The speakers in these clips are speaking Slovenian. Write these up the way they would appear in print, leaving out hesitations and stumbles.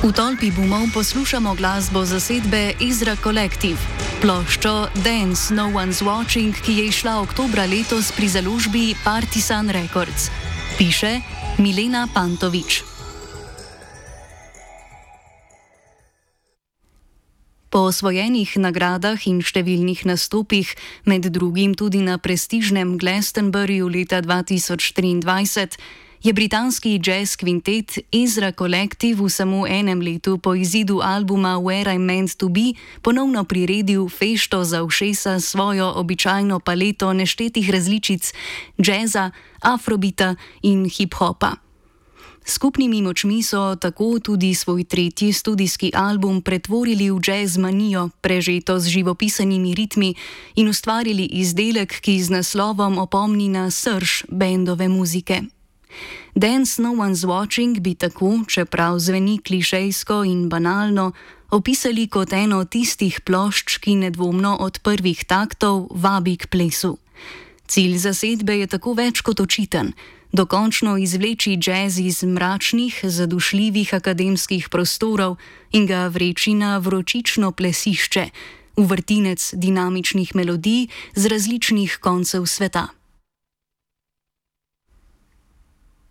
V tolpi bumov poslušamo glasbo zasedbe Ezra Collective, ploščo Dance No One's Watching, ki je izšla oktobra letos pri založbi Partisan Records. Piše Milena Pantovič. Po osvojenih nagradah in številnih nastopih, med drugim tudi na prestižnem Glastonburyju leta 2023, je britanski jazz kvintet Ezra Collective v samo enem letu po izidu albuma Where I'm Meant to Be ponovno priredil fešto za ušesa s svojo običajno paleto neštetih različic jazza, afrobita in hip-hopa. Skupnimi močmi so tako tudi svoj tretji studijski album pretvorili v jazz manijo, prežeto z živopisanimi ritmi, in ustvarili izdelek, ki z naslovom opomni na srž bendove muzike. Dance No One's Watching bi tako, čeprav zveni klišejsko in banalno, opisali kot eno tistih plošč, ki nedvomno od prvih taktov vabi k plesu. Cilj zasedbe je tako več kot očiten: dokončno izvleči jazz iz mračnih, zadušljivih akademskih prostorov in ga vreči na vročično plesišče, v vrtinec dinamičnih melodij z različnih koncev sveta.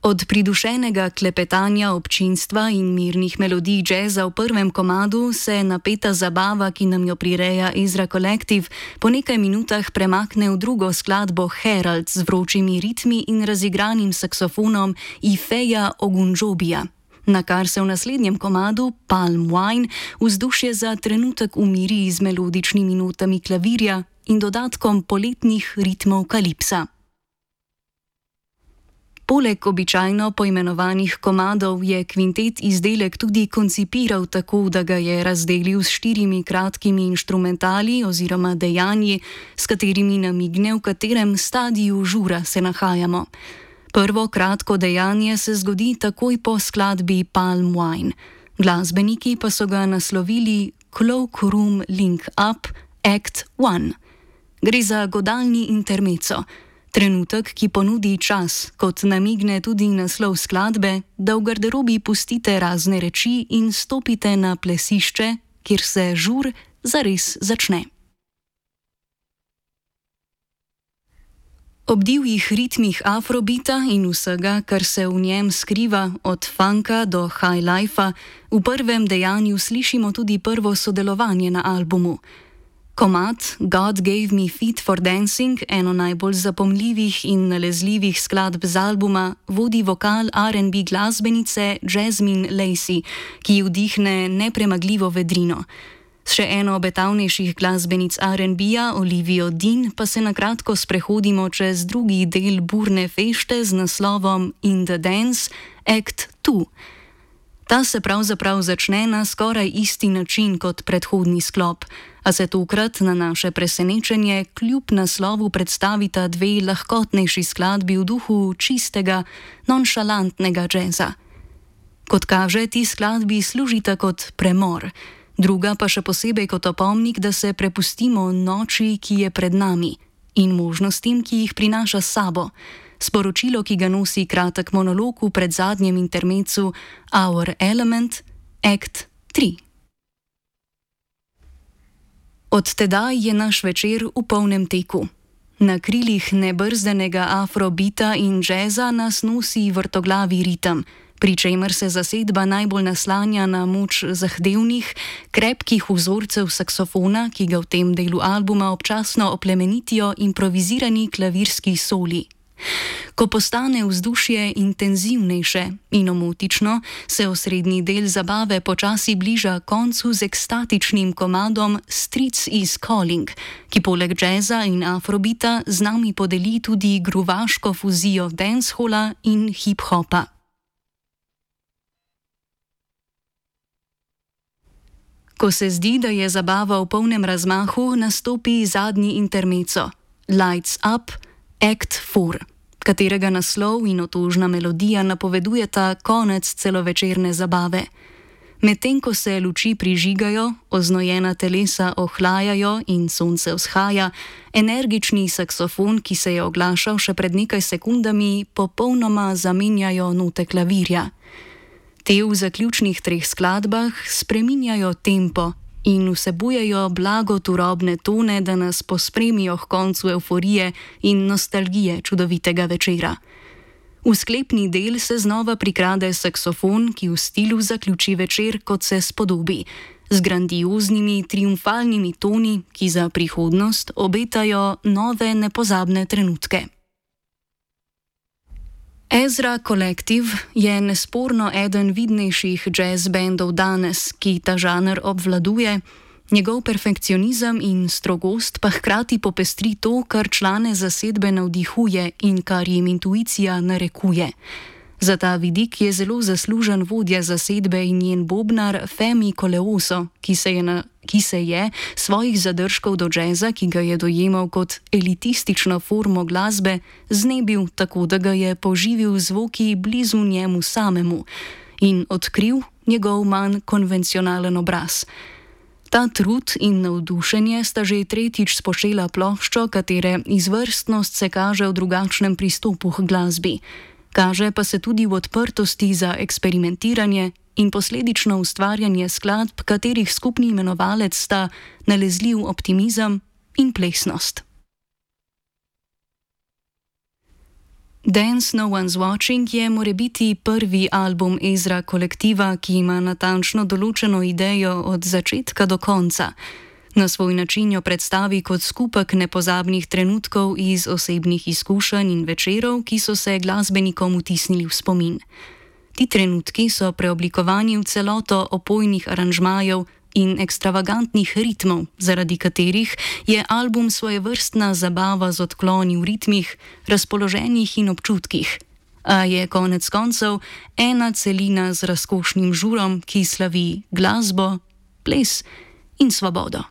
Od pridušenega klepetanja občinstva in mirnih melodij jazza v prvem komadu se napeta zabava, ki nam jo prireja Ezra Collective, po nekaj minutah premakne v drugo skladbo Herald z vročimi ritmi in razigranim saksofonom Ifeja Ogunjobija, na kar se v naslednjem komadu Palm Wine vzdušje za trenutek umiri z melodičnimi notami klavirja in dodatkom poletnih ritmov kalipsa. Poleg običajno poimenovanih komadov je kvintet izdelek tudi koncipiral tako, da ga je razdelil s 4 kratkimi inštrumentali oziroma dejanji, s katerimi namigne, v katerem stadiju žura se nahajamo. Prvo kratko dejanje se zgodi takoj po skladbi Palm Wine. Glasbeniki pa so ga naslovili Cloakroom Link Up Act 1. Gre za godalni intermezzo. Trenutek, ki ponudi čas, kot namigne tudi naslov skladbe, da v garderobi pustite razne reči in stopite na plesišče, kjer se žur zares začne. Ob divjih ritmih afrobita in vsega, kar se v njem skriva, od funka do high lifea, v prvem dejanju slišimo tudi prvo sodelovanje na albumu. Komad God Gave Me Feet for Dancing, eno najbolj zapomljivih in nalezljivih skladb z albuma, vodi vokal R&B glasbenice Jasmine Lacey, ki vdihne nepremagljivo vedrino. S še eno obetavnejših glasbenic R&B-ja, Olivio Dean, pa se na kratko sprehodimo čez drugi del burne fešte z naslovom In the Dance Act 2. Ta se pravzaprav začne na skoraj isti način kot predhodni sklop, a se tokrat na naše presenečenje kljub naslovu predstavita dve lahkotnejši skladbi v duhu čistega, nonšalantnega jazza. Kot kaže, ti skladbi služita kot premor, druga pa še posebej kot opomnik, da se prepustimo noči, ki je pred nami, in možnostim, ki jih prinaša s sabo. Sporočilo, ki ga nosi kratek monolog v predzadnjem intermezzu Our Element, Act 3. Od tedaj je naš večer v polnem teku. Na krilih nebrzdanega afrobita in jazza nas nosi vrtoglavi ritem, pri čemer se zasedba najbolj naslanja na moč zahtevnih, krepkih vzorcev saksofona, ki ga v tem delu albuma občasno oplemenitijo improvizirani klavirski soli. Ko postane vzdušje intenzivnejše in omotično, se osrednji del zabave počasi bliža koncu z ekstatičnim komadom Streets is Calling, ki poleg jazza in afrobita z nami podeli tudi gruvaško fuzijo dancehola in hip-hopa. Ko se zdi, da je zabava v polnem razmahu, nastopi zadnji intermezzo Lights Up, Act 4, katerega naslov in otožna melodija napovedujeta konec celovečerne zabave. Medtem ko se luči prižigajo, oznojena telesa ohlajajo in sonce vzhaja, energični saksofon, ki se je oglašal še pred nekaj sekundami, popolnoma zamenjajo note klavirja. Te v zaključnih 3 skladbah spreminjajo tempo in vsebujejo blago turobne tone, da nas pospremijo k koncu evforije in nostalgije čudovitega večera. V sklepni del se znova prikrade saksofon, ki v stilu zaključi večer, kot se spodobi, z grandioznimi, triumfalnimi toni, ki za prihodnost obetajo nove nepozabne trenutke. Ezra Collective je nesporno eden vidnejših jazz bandov danes, ki ta žanr obvladuje, njegov perfekcionizem in strogost pa hkrati popestri to, kar člane zasedbe navdihuje in kar jim intuicija narekuje. Za ta vidik je zelo zaslužen vodja zasedbe in njen bobnar Femi Koleoso, ki se je svojih zadržkov do džeza, ki ga je dojemal kot elitistično formo glasbe, znebil tako, da ga je poživil zvoki blizu njemu samemu in odkril njegov manj konvencionalen obraz. Ta trud in navdušenje sta že tretjič spočela ploščo, katere izvrstnost se kaže v drugačnem pristopu k glasbi. Kaže pa se tudi v odprtosti za eksperimentiranje in posledično ustvarjanje skladb, katerih skupni imenovalec sta nalezljiv optimizem in plesnost. Dance No One's Watching je morebiti prvi album Ezra Kolektiva, ki ima natančno določeno idejo od začetka do konca. Na svoj način jo predstavi kot skupek nepozabnih trenutkov iz osebnih izkušenj in večerov, ki so se glasbenikom vtisnili v spomin. Ti trenutki so preoblikovani v celoto opojnih aranžmajev in ekstravagantnih ritmov, zaradi katerih je album svojevrstna zabava z odkloni v ritmih, razpoloženjih in občutkih, a je konec koncev ena celina z razkošnim žurom, ki slavi glasbo, ples in svobodo.